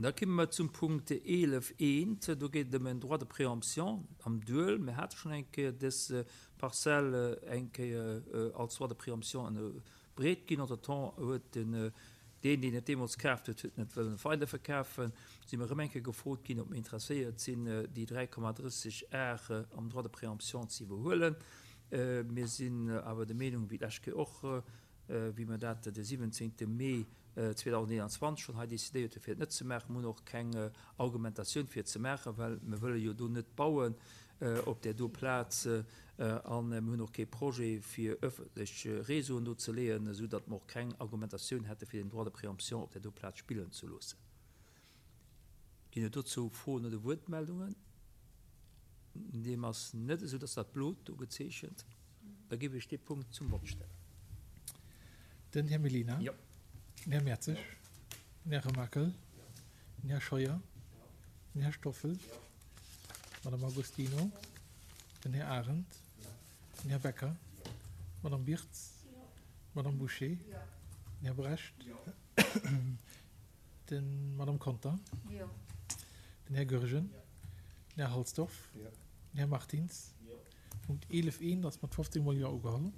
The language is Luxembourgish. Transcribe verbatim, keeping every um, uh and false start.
Da komme mer zum Punkt eelef eent. Do geet et ëm en Droit de préemption am Duel. Mir hate schonn eng Kéier dës Parzell eng Kéier als Droit de préemption ënnerbreet ginn. Entretemps huet den, deen, deen et deemools kaaft huet, huet net wëllen weiderverkafen. Si mer erëm eng Kéier gefrot ginn, ob mer interesséiert sinn, déi dräi Komma drësseg Ar am Droit de préemption ze iwwerhuelen. Mir sinn awer der Meenung, wéi d'lescht Kéier och, wéi mer dat de siwwenzéngte Mee zweedausendeenanzwanzeg schonn hei decidéiert hunn, fir et net ze maachen. Mer hunn och keng Argumentatioun fir et ze maachen, well mer wëlle jo do net bauen op där do Plaz a mer hunn och kee Projet, fir öffentlech Réseauen do ze leeën, esou datt mer och keng Argumentatioun hätte fir den Droit de préemption op där do Plaz spillen ze loossen. Ginn et dozou Froen oder Wuertmeldungen? Deem ass net esou, dass dat blot do gezeechent. Da géif ech dee Punkt zum Vott stellen. Den Här Mellina. Jo. Den Här Mertzig. Den Här Remakel. Den Här Scheuer. Den Här Stoffel. D'Madame Agostino. Den Här Arendt. Den Här Becker. D'Madame Birtz. D'Madame Bouché. Den Här Brecht. D'Madame Conter. Den Här Goergen. Den Här Halsdorf. Den Här Martins. Punkt eelef eent ass mat fofzéng mol Jo ugeholl.